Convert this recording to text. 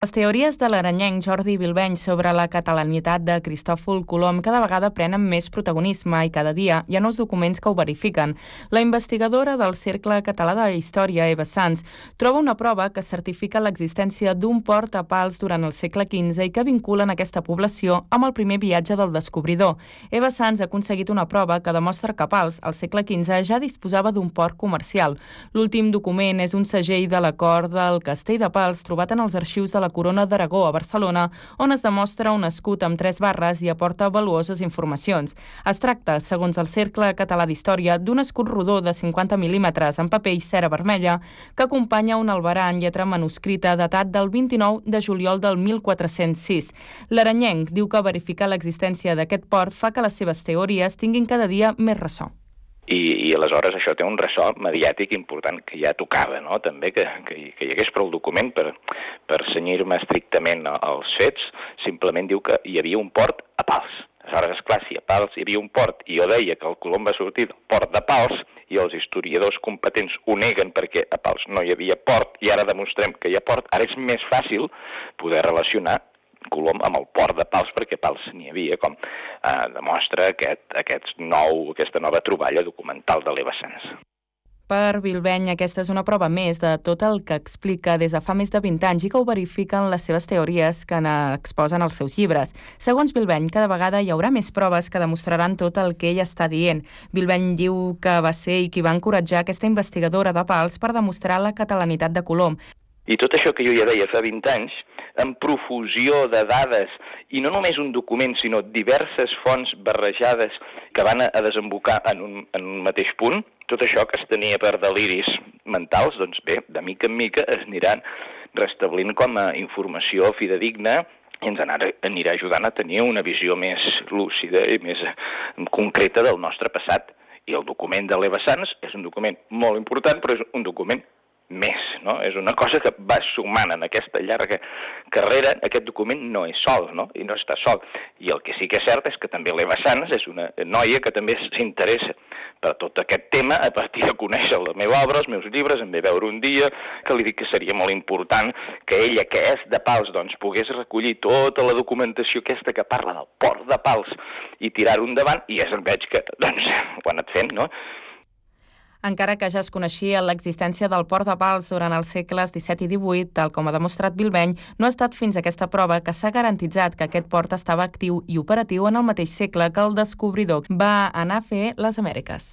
Les teories de l'aranyenc Jordi Bilbeny sobre la catalanitat de Cristòfol Colom cada vegada prenen més protagonisme i cada dia hi ha nous documents que ho verifiquen. La investigadora del Cercle Català de Història, Eva Sans, troba una prova que certifica l'existència d'un port a Pals durant el segle XV i que vinculen aquesta població amb el primer viatge del descobridor. Eva Sans ha aconseguit una prova que demostra que Pals, al segle XV, ja disposava d'un port comercial. L'últim document és un segell de l'acord del Castell de Pals trobat en els arxius de la Corona d'Aragó a Barcelona, on es demostra un escut amb 3 barres i aporta valuoses informacions. Es tracta, segons el Cercle Català d'Història, d'un escut rodó de 50 mil·límetres en paper i cera vermella que acompanya un albarà en lletra manuscrita datat del 29 de juliol del 1406. L'aranyenc diu que verificar l'existència d'aquest port fa que les seves teories tinguin cada dia més ressò. I aleshores això té un ressò mediàtic important que ja tocava, no? També que hi hagués prou document per cenyir-me estrictament als fets. Simplement diu que hi havia un port a Pals. Aleshores, esclar, si a Pals hi havia un port i jo deia que el Colom va sortir del port de Pals i els historiadors competents ho neguen perquè a Pals no hi havia port i ara demostrem que hi ha port, ara és més fàcil poder relacionar Colom amb el port de Pals, perquè Pals n'hi havia, com demostra aquesta nova troballa documental de l'Eva Sans. Per Bilbeny, aquesta és una prova més de tot el que explica des de fa més de 20 anys i que ho verifiquen les seves teories que exposen els seus llibres. Segons Bilbeny, cada vegada hi haurà més proves que demostraran tot el que ell està dient. Bilbeny diu que va ser i qui va encoratjar aquesta investigadora de Pals per demostrar la catalanitat de Colom. I tot això que jo ja deia fa 20 anys, en profusió de dades, i no només un document, sinó diverses fonts barrejades que van a desembocar en un mateix punt, tot això que es tenia per deliris mentals, doncs bé, de mica en mica es aniran restablint com a informació fidedigna i ens anirà ajudant a tenir una visió més lúcida i més concreta del nostre passat. I el document de l'Eva Sans és un document molt important, però és un document més, no? És una cosa que va sumant en aquesta llarga carrera. Aquest document no és sol, no? I no està sol. I el que sí que és cert és que també l'Eva Sans és una noia que també s'interessa per tot aquest tema a partir de conèixer la meva obra, els meus llibres, em ve veure un dia, que li dic que seria molt important que ella, que és de Pals, doncs pogués recollir tota la documentació aquesta que parla del port de Pals i tirar-ho endavant, i ja veig que, doncs, ho ha anat fent, no? Encara que ja es coneixia l'existència del port de Pals durant els segles XVII i XVIII, tal com ha demostrat Bilbeny, no ha estat fins a aquesta prova que s'ha garantitzat que aquest port estava actiu i operatiu en el mateix segle que el descobridor va anar a fer les Amèriques.